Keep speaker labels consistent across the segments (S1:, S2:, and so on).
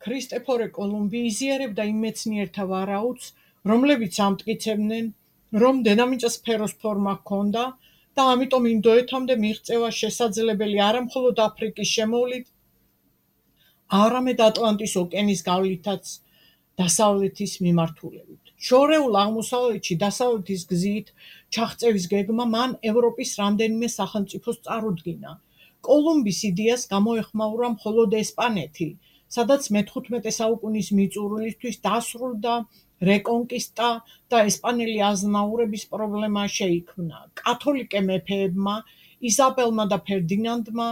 S1: ქრისტეფორე კოლუმბი იზიარებდა იმ მეცნიერთა ვარაუდს, რომლებიც ამტკიცებდნენ, რომ დედამიწას სფეროს ფორმა ჰქონდა და ამიტომ ინდოეთამდე მიღწევა შესაძლებელი არა მხოლოდ აფრიკის შემოვლით, არამედ ატლანტის ოკეანის გავლითაც დასავლეთის მიმართულებით. შორეულ აღმოსავლეთში დასავლეთის გზით ჩაღწევის გეგმა მან ევროპის რამდენიმე სახელმწიფოს წარუდგინა. კოლუმბის იდეას გამოეხმაურა მხოლოდ ესპანეთი, სადაც მე-15 საუკუნის მიწურულისთვის დასრულდა რეკონკისტა და ესპანელი აზნაურების პრობლემა შეიქმნა. კათოლიკე მეფეებმა, იზაბელმა და ფერდინანდმა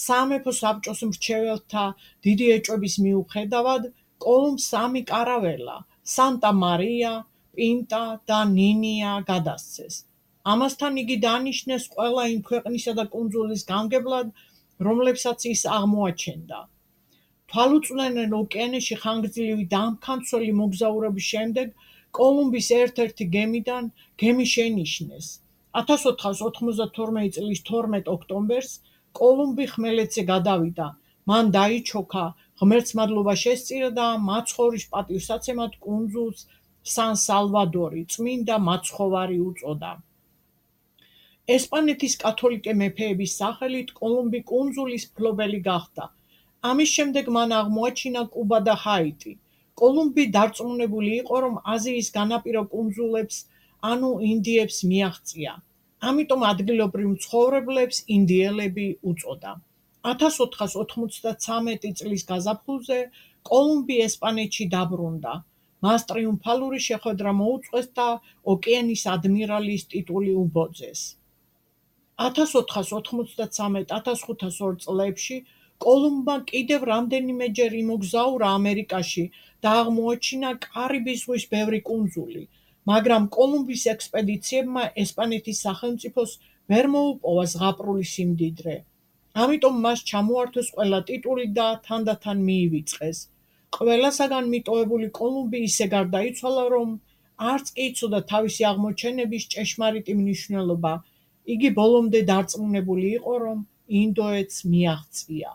S1: სამეფო საბჭოს მრჩეველთა დიდი ეჭვების მიუხედავად, კოლუმბს 3 კარაველა, სანტა მარია, პინტა და ნინია გადასცეს. ამასთან იგი დანიშნეს ყველა იმ ქვეყნისა და კუნძულის გამგებლად, რომლებსაც ის აღმოაჩენდა. თვალუწვდენელ ოკეანეში ხანგრძლივი და ამქანცველი მოგზაურობის შემდეგ კოლუმბის ერთ-ერთი გემიდან გემი შენიშნეს. 1492 წლის 12 ოქტომბერს კოლუმბი ხმელეთზე გადავიდა. მან დაიჩოქა, ღმერთს მადლობა შესწირა და მაცხოვრის პატივსაცემად კუნძულს სან-სალვადორი, წმინდა მაცხოვარი უწოდა. ესპანეთის კათოლიკე მეფეების სახელით კოლუმბი კუნძულის მფლობელი გახდა. ამის შემდეგ მან აღმოაჩინა კუბა და ჰაიტი. კოლუმბი დარწმუნებული იყო, რომ აზიის განაპირა კუნძულებს, ანუ ინდიებს მიაღწია. ამიტომ ადგილობრივ მცხოვრებლებს ინდიელები უწოდა. 1493 წლის გაზაფხულზე კოლუმბი ესპანეთში დაბრუნდა. მას ტრიუმფალური შეხვედრა მოუწყვეს და ოკეანის ადმირალის ტიტული უბოძეს. 1493-1502 წლებში კოლუმბმა კიდევ რამდენიმეჯერ იმოგზაურა ამერიკაში და აღმოაჩინა კარიბის ზღვის ბევრი კუნძული, მაგრამ კოლუმბის ექსპედიციებმა ესპანეთის სახელმწიფოს ვერ მოუპოვა ზღაპრული სიმდიდრე. ამიტომ მას ჩამოართვეს ყველა ტიტული და თანდათან მიივიწყეს. ყველასაგან მიტოვებული კოლუმბი ისე გარდაიცვალა, რომ არც კი იცოდა თავისი აღმოჩენების ჭეშმარიტი მნიშვნელობა. იგი ბოლომდე დარწმუნებული იყო, რომ ინდოეთს მიაღწია.